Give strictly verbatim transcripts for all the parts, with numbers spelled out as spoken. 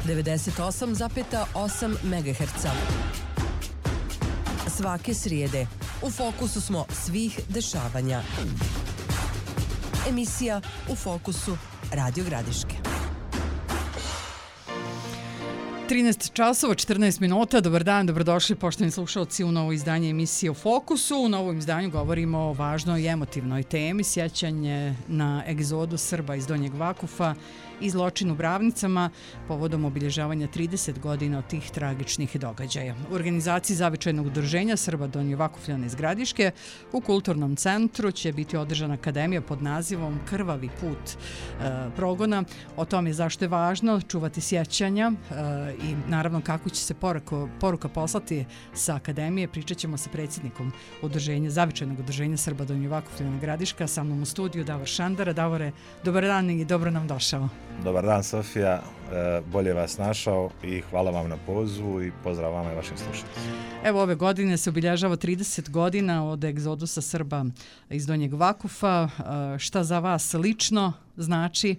devedeset osam zarez osam megaherca. Svake srijede u fokusu smo svih dešavanja. Emisija U fokusu Radio Gradiške. trinaest časova, četrnaest minuta. Dobar dan, dobrodošli poštovani slušalci u novo izdanje emisije U fokusu. U novom izdanju govorimo o važnoj i emotivnoj temi, sjećanje na egzodu Srba iz Donjeg Vakufa i zločin u Bravnicama povodom obilježavanja trideset godina od tih tragičnih događaja. U organizaciji Zavičajnog udruženja Srba Donje Vakufljana iz Gradiške u Kulturnom centru će biti održana akademija pod nazivom Krvavi put e, progona. O tome zašto je važno čuvati sjećanja e, i naravno kako će se poruka, poruka poslati sa akademije. Pričat ćemo sa predsjednikom udruženja, Zavičajnog udruženja Srba Donje Vakufljana Gradiška, sa mnom u studiju Davor Šandara. Davore, dobar dan i dobro nam došao. Dobar dan, Sofija, bolje vas našao i hvala vam na pozivu i pozdrav vama i vašim slušateljima. Evo, ove godine se obilježava trideset godina od egzodusa Srba iz Donjeg Vakufa. Šta za vas lično znači,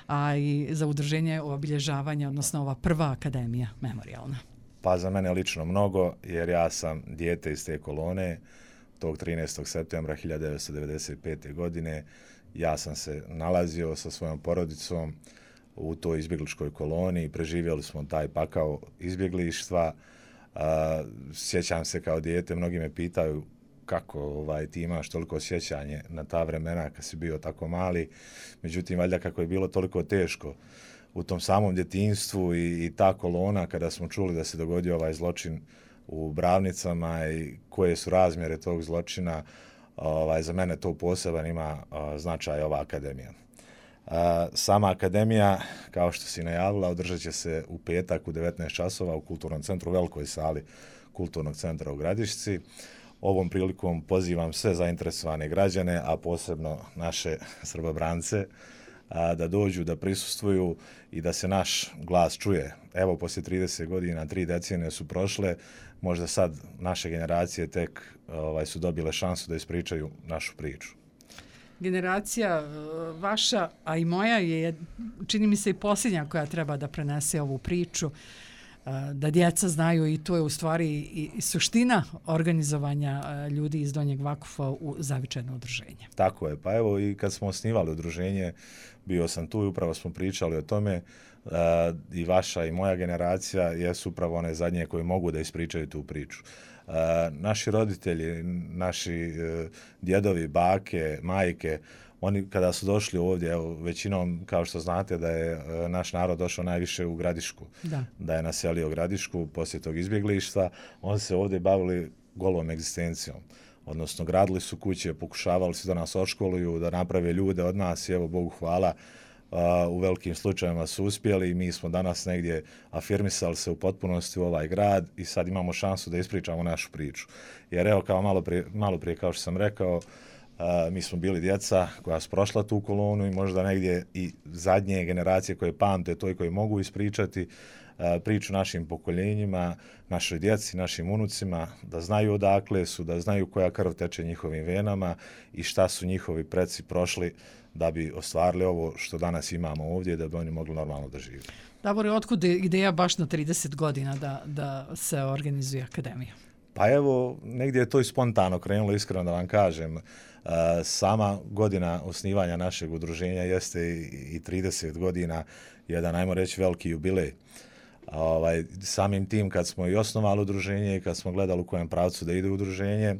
a i za udruženje obilježavanja, odnosno ova prva akademija memorijalna? Pa za mene lično mnogo, jer ja sam dijete iz te kolone. Tog trinaestog septembra hiljadu devetsto devedeset pete. godine ja sam se nalazio sa svojom porodicom u toj izbjegličkoj koloni i preživjeli smo taj pakao izbjeglištva. Uh, sjećam se kao dijete, mnogi me pitaju kako ovaj, ti imaš toliko sjećanje na ta vremena kad si bio tako mali. Međutim, valjda kako je bilo toliko teško u tom samom djetinjstvu i, i ta kolona kada smo čuli da se dogodio ovaj zločin u Bravnicama i koje su razmjere tog zločina, ovaj, za mene to poseban ima uh, značaj ova akademija. Uh, sama akademija, kao što si najavila, održat će se u petak u devetnaest časova u Kulturnom centru, u velikoj sali Kulturnog centra u Gradišci. Ovom prilikom pozivam sve zainteresovane građane, a posebno naše Srbobrance, a, da dođu, da prisustvuju i da se naš glas čuje. Evo, poslije trideset godina, tri decenije su prošle, možda sad naše generacije tek ovaj, su dobile šansu da ispričaju našu priču. Generacija vaša, a i moja je, čini mi se, i posljednja koja treba da prenese ovu priču, da djeca znaju, i to je u stvari i suština organizovanja ljudi iz Donjeg Vakufa u Zavičajno udruženje. Tako je, pa evo i kad smo osnivali udruženje, bio sam tu i upravo smo pričali o tome, i vaša i moja generacija jesu upravo one zadnje koji mogu da ispričaju tu priču. Uh, naši roditelji, naši uh, djedovi, bake, majke, oni kada su došli ovdje, evo, većinom, kao što znate, da je uh, naš narod došao najviše u Gradišku, da, da je naselio Gradišku poslije tog izbjeglištva, oni se ovdje bavili golom egzistencijom. Odnosno, gradili su kuće, pokušavali su da nas oškoluju, da naprave ljude od nas i evo, Bogu hvala, Uh, u velikim slučajevima su uspjeli i mi smo danas negdje afirmisali se u potpunosti u ovaj grad i sad imamo šansu da ispričamo našu priču. Jer evo, kao malo prije, malo prije kao što sam rekao, uh, mi smo bili djeca koja su prošla tu kolonu i možda negdje i zadnje generacije koje pamte to i koje mogu ispričati uh, priču našim pokoljenjima, našoj djeci, našim unucima, da znaju odakle su, da znaju koja krv teče njihovim venama i šta su njihovi preci prošli da bi ostvarili ovo što danas imamo ovdje, da bi oni mogli normalno da žive. Davore, otkud je ideja baš na trideset godina da, da se organizuje akademija? Pa evo, negdje je to i spontano krenulo, iskreno da vam kažem. Sama godina osnivanja našeg udruženja jeste i trideset godina, jedan, ajmo reći, veliki jubilej. Ovaj, samim tim kad smo i osnovali udruženje i kad smo gledali u kojem pravcu da ide udruženje,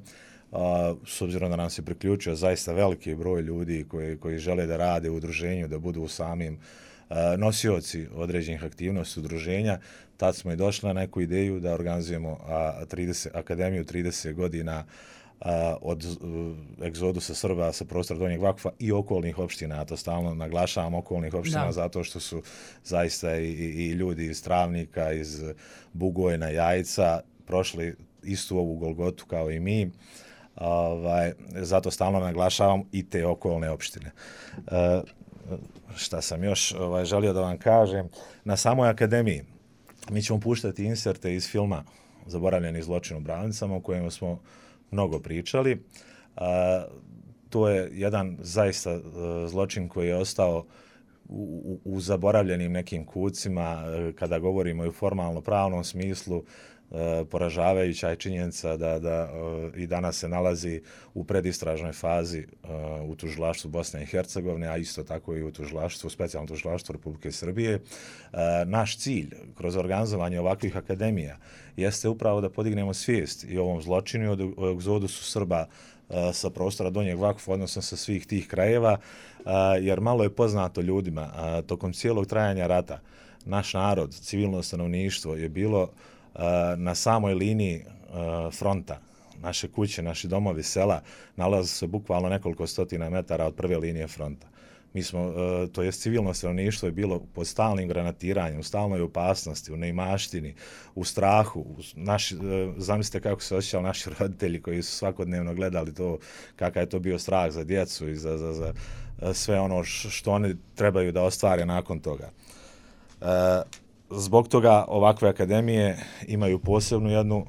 Uh, s obzirom da nam se priključio zaista veliki broj ljudi koji, koji žele da rade u udruženju, da budu samim uh, nosioci određenih aktivnosti udruženja, tad smo i došli na neku ideju da organizujemo uh, trideset, akademiju trideset godina uh, od uh, egzodusa Srba sa prostora Donjeg Vakufa i okolnih opština. Ja to stalno naglašavam, okolnih opština, da, zato što su zaista i, i, i ljudi iz Travnika, iz Bugojna, Jajca prošli istu ovu golgotu kao i mi. Ovaj, zato stalno naglašavam i te okolne opštine. E, šta sam još ovaj, želio da vam kažem, na samoj akademiji mi ćemo puštati inserte iz filma Zaboravljeni zločin u Bravnicama, o kojem smo mnogo pričali. E, to je jedan zaista e, zločin koji je ostao u, u zaboravljenim nekim kucima, kada govorimo i u formalno pravnom smislu, poražavajuća je činjenica da, da i danas se nalazi u predistražnoj fazi u tužilaštvu Bosne i Hercegovine, a isto tako i u tužilaštvu, specijalnom tužilaštvu Republike Srbije. Naš cilj kroz organizovanje ovakvih akademija jeste upravo da podignemo svijest i o ovom zločinu i o egzodusu Srba sa prostora Donjeg Vakfa, odnosno sa svih tih krajeva, jer malo je poznato ljudima. Tokom cijelog trajanja rata naš narod, civilno stanovništvo je bilo na samoj liniji fronta. Naše kuće, naši domovi, sela nalaze se bukvalno nekoliko stotina metara od prve linije fronta. Mi smo, to jest civilno stanovništvo je bilo pod stalnim granatiranjem, u stalnoj opasnosti, u neimaštini, u strahu. Naši, zamislite kako se osjećali naši roditelji koji su svakodnevno gledali to, kakav je to bio strah za djecu i za, za, za sve ono što oni trebaju da ostvare nakon toga. Zbog toga ovakve akademije imaju posebnu jednu,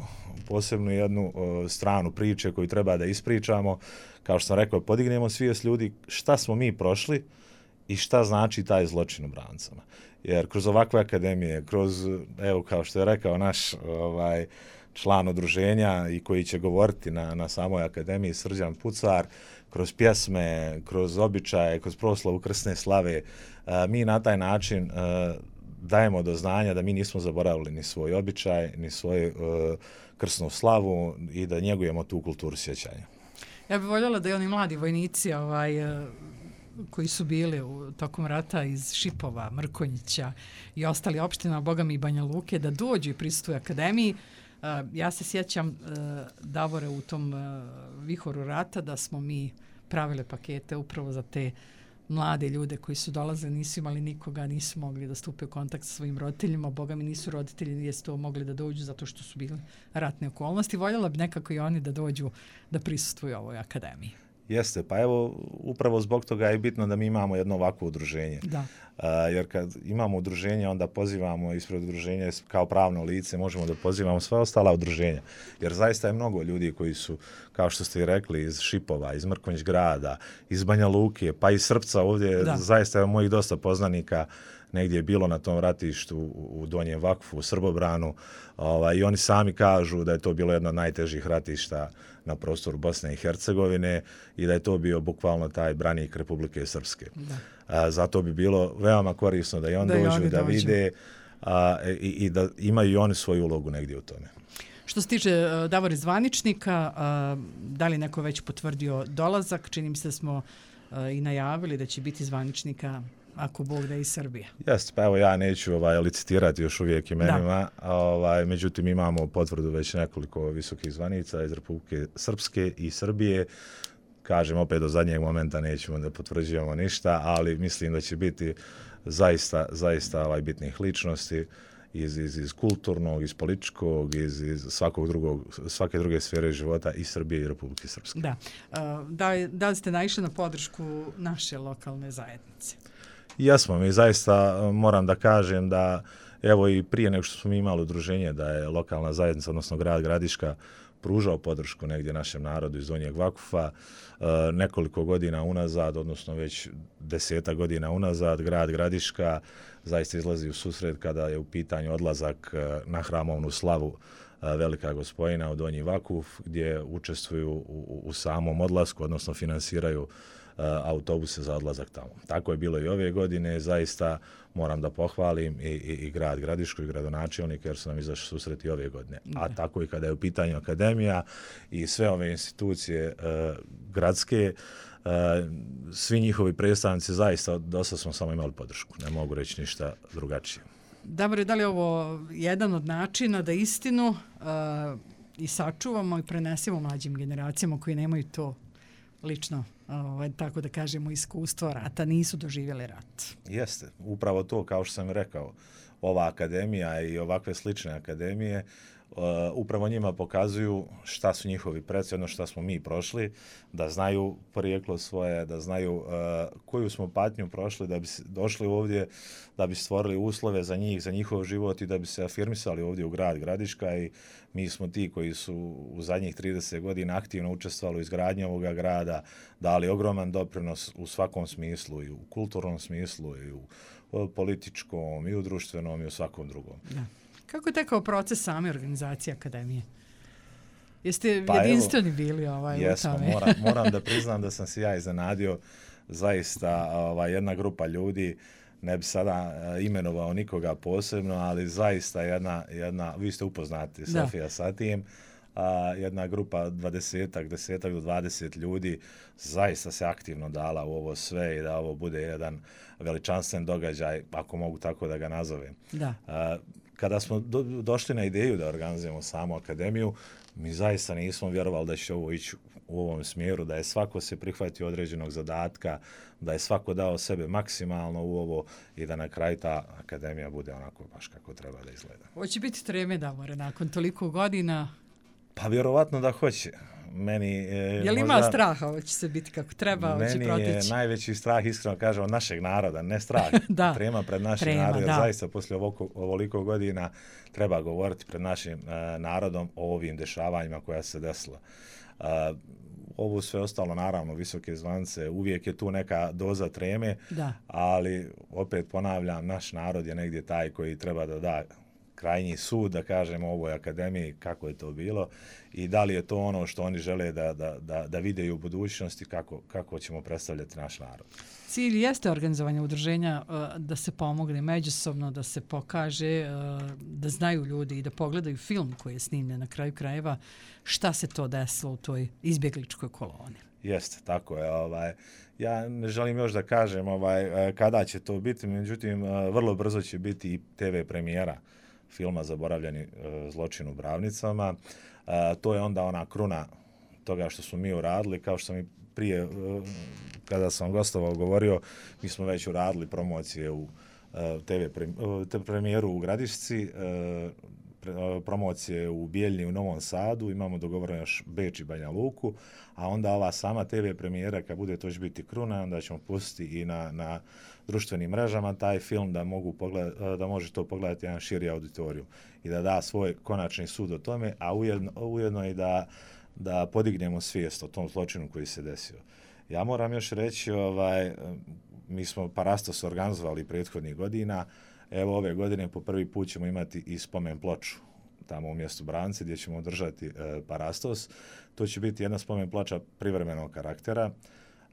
posebnu jednu uh, stranu priče koju treba da ispričamo. Kao što sam rekao, podignemo svijest ljudi šta smo mi prošli i šta znači taj zločin u Brancama. Jer kroz ovakve akademije, kroz, evo kao što je rekao naš ovaj, član udruženja i koji će govoriti na, na samoj akademiji, Srđan Pucar, kroz pjesme, kroz običaje, kroz proslavu krsne slave, uh, mi na taj način uh, dajemo do znanja da mi nismo zaboravili ni svoj običaj, ni svoju uh, krsnu slavu i da njegujemo tu kulturu sjećanja. Ja bih voljela da i oni mladi vojnici ovaj, uh, koji su bili u, tokom rata iz Šipova, Mrkonjića i ostali opština, Bogami i Banja Luke, da dođu i prisustvuju akademiji. Uh, ja se sjećam, uh, Davore, u tom uh, vihoru rata da smo mi pravile pakete upravo za te mlade ljude koji su dolazili, nisu imali nikoga, nisu mogli da stupe u kontakt sa svojim roditeljima, boga mi nisu roditelji, nisu to mogli da dođu zato što su bili ratne okolnosti. Voljela bi nekako i oni da dođu da prisustvuju ovoj akademiji. Jeste, pa evo, upravo zbog toga je bitno da mi imamo jedno ovakvo udruženje. Da. A, jer kad imamo udruženje, onda pozivamo ispred udruženja kao pravno lice, možemo da pozivamo sva ostala udruženja. Jer zaista je mnogo ljudi koji su, kao što ste i rekli, iz Šipova, iz Mrkonjić grada, iz Banja Luke, pa i Srpca ovdje, da. Zaista je mojih dosta poznanika negdje je bilo na tom ratištu u Donjem Vakfu, u Srbobranu, ovaj, i oni sami kažu da je to bilo jedno od najtežih ratišta na prostoru Bosne i Hercegovine i da je to bio bukvalno taj branik Republike Srpske. A, zato bi bilo veoma korisno da i on da dođu, i da dođu. vide a, i, i da imaju i oni svoju ulogu negdje u tome. Što se tiče uh, Davore zvaničnika, uh, da li neko već potvrdio dolazak? Čini mi se da smo uh, i najavili da će biti zvaničnika ako Bog da iz Srbije. Jeste, pa evo ja neću ovaj, licitirati još uvijek imenima, ovaj, međutim imamo potvrdu već nekoliko visokih zvanica iz Republike Srpske i Srbije. Kažem, opet do zadnjeg momenta nećemo da potvrđujemo ništa, ali mislim da će biti zaista, zaista ovaj, bitnih ličnosti iz, iz, iz kulturnog, iz političkog, iz, iz svakog drugog, svake druge sfere života i Srbije i Republike Srpske. Da. Da, da li ste naišli na podršku naše lokalne zajednice? Jesmo, mi zaista moram da kažem da evo i prije nego što smo imali udruženje da je lokalna zajednica, odnosno grad Gradiška, pružao podršku negdje našem narodu iz Donjeg Vakufa. E, nekoliko godina unazad, odnosno već deseta godina unazad, grad Gradiška zaista izlazi u susret kada je u pitanju odlazak na hramovnu slavu Velika Gospojina u Donji Vakuf, gdje učestvuju u, u samom odlasku, odnosno finansiraju autobuse za odlazak tamo. Tako je bilo i ove godine, zaista moram da pohvalim i, i, i grad Gradišku i gradonačelnik jer su nam izašli susret i ove godine. A tako i kada je u pitanju akademija i sve ove institucije uh, gradske, uh, svi njihovi predstavnici zaista dosta smo samo imali podršku. Ne mogu reći ništa drugačije. Dobro, da li je ovo jedan od načina da istinu uh, i sačuvamo i prenesemo mlađim generacijama koji nemaju to lično, ovaj, tako da kažemo, iskustvo rata, nisu doživjeli rat. Jeste, upravo to, kao što sam rekao, ova akademija i ovakve slične akademije upravo njima pokazuju šta su njihovi preci, ono šta smo mi prošli, da znaju porijeklo svoje, da znaju uh, koju smo patnju prošli da bi došli ovdje, da bi stvorili uslove za njih, za njihov život i da bi se afirmisali ovdje u grad Gradiška i mi smo ti koji su u zadnjih trideset godina aktivno učestvovali u izgradnji ovoga grada, dali ogroman doprinos u svakom smislu, i u kulturnom smislu, i u političkom, i u društvenom, i u svakom drugom. Da. Kako je tekao proces same organizacije akademije? Jeste pa jedinstveni evo, bili ovaj, jesmo, u tome? moram, moram da priznam da sam se ja iznenadio, zaista ovaj, jedna grupa ljudi, ne bi sada uh, imenovao nikoga posebno, ali zaista jedna, jedna vi ste upoznati, da. Sofija sa tim, a jedna grupa dvadesetak, desetak do dvadeset ljudi zaista se aktivno dala u ovo sve i da ovo bude jedan veličanstven događaj, ako mogu tako da ga nazovem. Da. A, kada smo do, došli na ideju da organizujemo samu akademiju, mi zaista nismo vjerovali da će ovo ići u ovom smjeru, da je svako se prihvatio određenog zadatka, da je svako dao sebe maksimalno u ovo i da na kraju ta akademija bude onako baš kako treba da izgleda. Hoće biti treme, Davore, nakon toliko godina? Pa vjerovatno da hoće. Meni je Je li možda, ima straha? Hoće se biti kako treba? Hoće proteći? Meni je najveći strah, iskreno kažem, od našeg naroda, ne strah. da. Trema pred našim Trema, narodom, jer da. zaista poslije ovoliko, ovoliko godina treba govoriti pred našim uh, narodom o ovim dešavanjima koja se desila. Uh, ovo sve ostalo, naravno, visoke zvance, uvijek je tu neka doza treme, da. ali opet ponavljam, naš narod je negdje taj koji treba da da krajnji sud, da kažemo, ovoj akademiji kako je to bilo i da li je to ono što oni žele da, da, da, da vide u budućnosti, kako, kako ćemo predstavljati naš narod. Cilj jeste organizovanje udruženja da se pomogne međusobno, da se pokaže, da znaju ljudi i da pogledaju film koji je snimljen na kraju krajeva, šta se to desilo u toj izbjegličkoj koloni. Jeste, tako je. Ovaj, ja ne želim još da kažem ovaj, kada će to biti, međutim, vrlo brzo će biti i te ve premijera filma Zaboravljeni zločin u Bravnicama. To je onda ona kruna toga što smo mi uradili, kao što sam i prije, kada sam gostovao, govorio, mi smo već uradili promocije u te ve premijeru u Gradišci, promocije u Bijeljni u Novom Sadu, imamo dogovoreno još Beč i Banja Luku, a onda ova sama te ve premijera, kad bude to će biti kruna, onda ćemo pustiti i na, na društvenim mrežama taj film da, mogu pogled, da može to pogledati jedan širi auditoriju i da da svoj konačni sud o tome, a ujedno, ujedno i da, da podignemo svijest o tom zločinu koji se desio. Ja moram još reći, ovaj, mi smo Parastos organizovali prethodnih godina. Evo ove godine po prvi put ćemo imati i spomen ploču tamo u mjestu Branci gdje ćemo održati e, Parastos. To će biti jedna spomen ploča privremenog karaktera.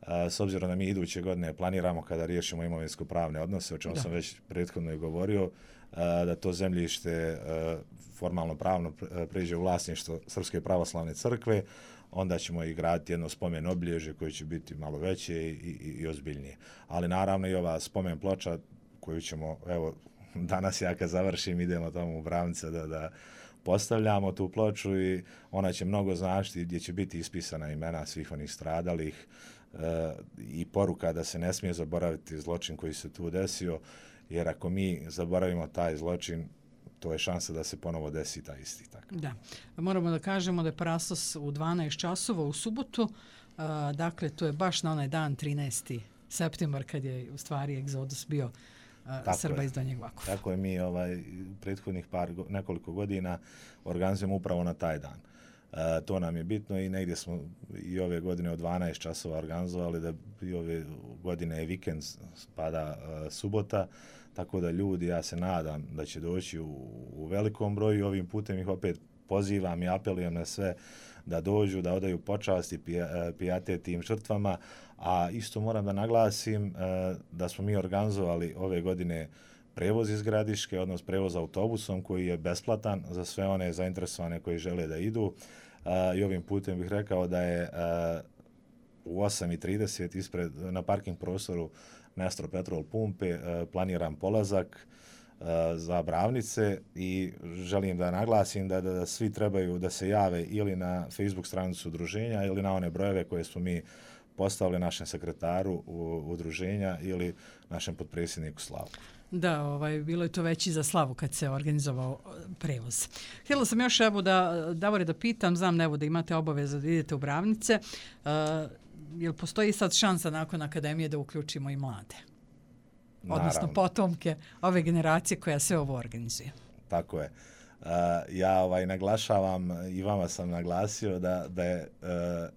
E, s obzirom da mi iduće godine planiramo kada riješimo imovinsko-pravne odnose, o čemu da. sam već prethodno i govorio, e, da to zemljište e, formalno pravno pređe u vlasništvo Srpske pravoslavne crkve, onda ćemo i graditi jedno spomen obilježje koje će biti malo veće i, i, i ozbiljnije. Ali naravno i ova spomen ploča koju ćemo, evo, danas ja kad završim idemo tamo u Bravnice da, da postavljamo tu ploču i ona će mnogo značiti gdje će biti ispisana imena svih onih stradalih e, i poruka da se ne smije zaboraviti zločin koji se tu desio, jer ako mi zaboravimo taj zločin, to je šansa da se ponovo desi taj isti. Tako. Da. Moramo da kažemo da je Parastos u dvanaest časova u subotu, a, dakle to je baš na onaj dan trinaesti septembar kad je u stvari egzodus bio a, Srba iz Donjeg Vakufa. Tako je, mi ovaj, prethodnih par, nekoliko godina organizujemo upravo na taj dan. E, to nam je bitno i negdje smo i ove godine od dvanaest časova organizovali, da i ove godine je vikend, spada e, subota, tako da ljudi, ja se nadam da će doći u, u velikom broju. Ovim putem ih opet pozivam i apelujem na sve da dođu, da odaju počast i pijatet tim žrtvama, a isto moram da naglasim e, da smo mi organizovali ove godine prevoz iz Gradiške, odnosno prevoz autobusom koji je besplatan za sve one zainteresovane koji žele da idu. E, I ovim putem bih rekao da je e, u osam i trideset ispred, na parking prostoru Nestro Petrol pumpe e, planiran polazak e, za Bravnice i želim da naglasim da, da, da svi trebaju da se jave ili na Facebook stranicu udruženja ili na one brojeve koje smo mi postavili našem sekretaru udruženja ili našem potpredsjedniku Slavku. Da, ovaj, bilo je to već i za slavu kad se organizovao prevoz. Htjela sam još, evo, da, Davore, da pitam, znam, evo, da imate obavezu da idete u Bravnice, uh, jel postoji sad šansa nakon akademije da uključimo i mlade? Odnosno Naravno. potomke ove generacije koja sve ovo organizuje. Tako je. Uh, ja ovaj, naglašavam, i vama sam naglasio, da, da je uh,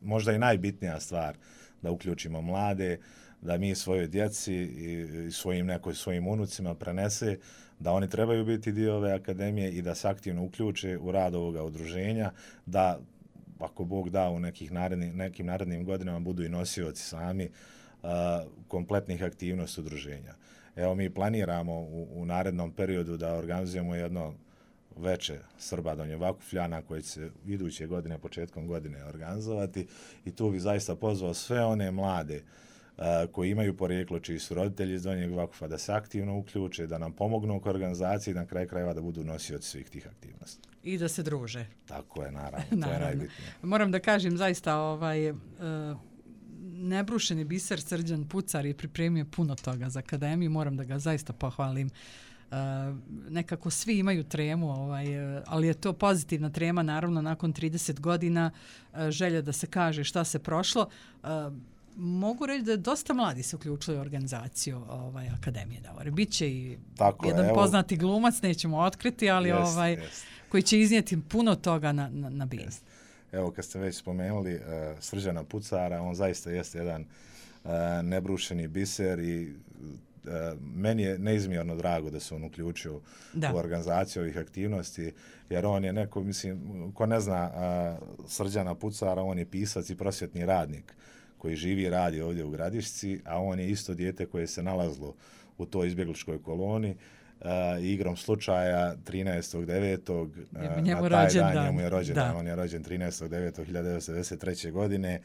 možda i najbitnija stvar da uključimo mlade, da mi svojoj djeci i svojim nekoj svojim unucima prenese da oni trebaju biti dio ove akademije i da se aktivno uključe u rad ovoga udruženja, da ako Bog da u nekih naredni, nekim narednim godinama budu i nosioci sami uh, kompletnih aktivnosti udruženja. Evo, mi planiramo u, u narednom periodu da organizujemo jedno veče Srba Donje Vakufljana koje će se iduće godine, početkom godine organizovati, i tu bi zaista pozvao sve one mlade uh, koji imaju porijeklo, čiji su roditelji iz Donjeg Vakufa, da se aktivno uključe, da nam pomognu oko organizaciji i na kraju krajeva da budu nosioci svih tih aktivnosti. I da se druže. Tako je, naravno, to naravno. je najbitnije. Moram da kažem, zaista, ovaj, uh, nebrušeni biser Srđan Pucar je pripremio puno toga za akademiju, moram da ga zaista pohvalim. Uh, nekako svi imaju tremu, ovaj, uh, ali je to pozitivna trema, naravno, nakon trideset godina, uh, želja da se kaže šta se prošlo. Uh, mogu reći da je dosta mladi se uključili u organizaciju ovaj, akademije Davore. Biće i Tako jedan je, evo, poznati glumac, nećemo otkriti, ali jest, ovaj, jest. koji će iznijeti puno toga na, na, na binu. Evo, kad ste već spomenuli uh, Srđana Pucara, on zaista jeste jedan uh, nebrušeni biser i uh, meni je neizmjerno drago da se on uključio da. u organizaciju ovih aktivnosti, jer on je neko, mislim, ko ne zna uh, Srđana Pucara, on je pisac i prosvjetni radnik koji živi i radi ovdje u Gradišci, a on je isto dijete koje se nalazilo u toj izbjegličkoj koloni. Uh, igrom slučaja trinaestog devetog Uh, na taj rođendan. dan njemu je rođendan. On je rođen trinaestog devetog hiljade devetsto devedeset treće. godine.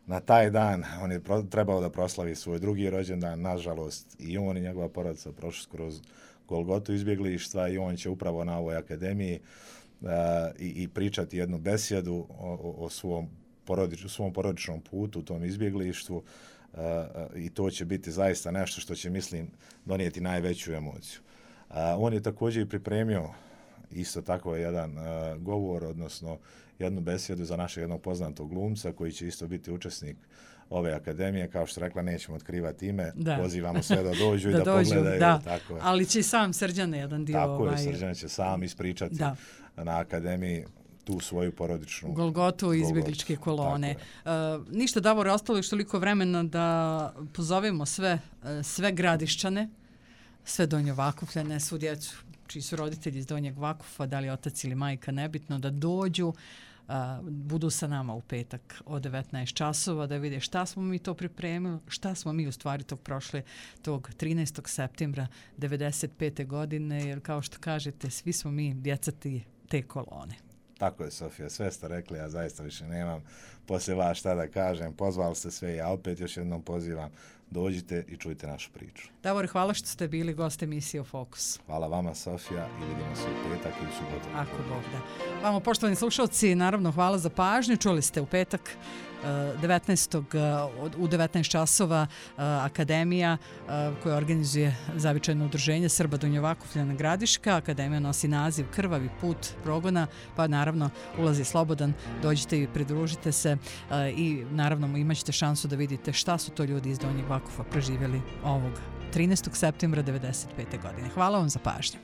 Na taj dan on je pro, trebao da proslavi svoj drugi rođendan. Nažalost, i on i njegova porodica prošli kroz Golgotu izbjeglištva i on će upravo na ovoj akademiji uh, i, i pričati jednu besjedu o, o, o svom, porodič, svom porodičnom putu u tom izbjeglištvu. Uh, i to će biti zaista nešto što će, mislim, donijeti najveću emociju. Uh, on je također i pripremio isto tako jedan uh, govor, odnosno jednu besjedu za našeg jednog poznatog glumca koji će isto biti učesnik ove akademije. Kao što rekla, nećemo otkrivati ime, da. pozivamo sve da dođu da i da dođu, pogledaju. Da. Tako je. Ali će i sam Srđan jedan dio... Tako ovaj... je, Srđan će sam ispričati da. na akademiji tu svoju porodičnu Golgotu i izbjegličke kolone. Uh, ništa, Davor, ostalo još toliko vremena da pozovemo sve, sve Gradišćane, sve Donje Vakufljane, svu djecu čiji su roditelji iz Donjeg Vakufa, da li otac ili majka, nebitno, da dođu, uh, budu sa nama u petak od devetnaest časova, da vide šta smo mi to pripremili, šta smo mi u stvari tog prošle, tog trinaestog septembra devedeset pete. godine, jer kao što kažete, svi smo mi djeca te kolone. Tako je, Sofija, sve ste rekli, ja zaista više nemam poslije vas šta da kažem. Pozvali ste sve, ja opet još jednom pozivam. Dođite i čujte našu priču. Davor, hvala što ste bili gost emisije Fokus. Hvala vama, Sofija, i vidimo se u petak i u subotu. Ako Bog da. Vamo, poštovani slušalci, naravno hvala za pažnju. Čuli ste u petak devetnaestog u devetnaest časova akademija koja organizuje zavičajno udruženje Srba Donje Vakufljana Gradiška. Akademija nosi naziv Krvavi put progona, pa naravno ulazi slobodan. Dođite i pridružite se i naravno imat ćete šansu da vidite šta su to ljudi iz Donjeg Vakufa preživjeli ovog trinaestog septembra devedeset pete. godine. Hvala vam za pažnju.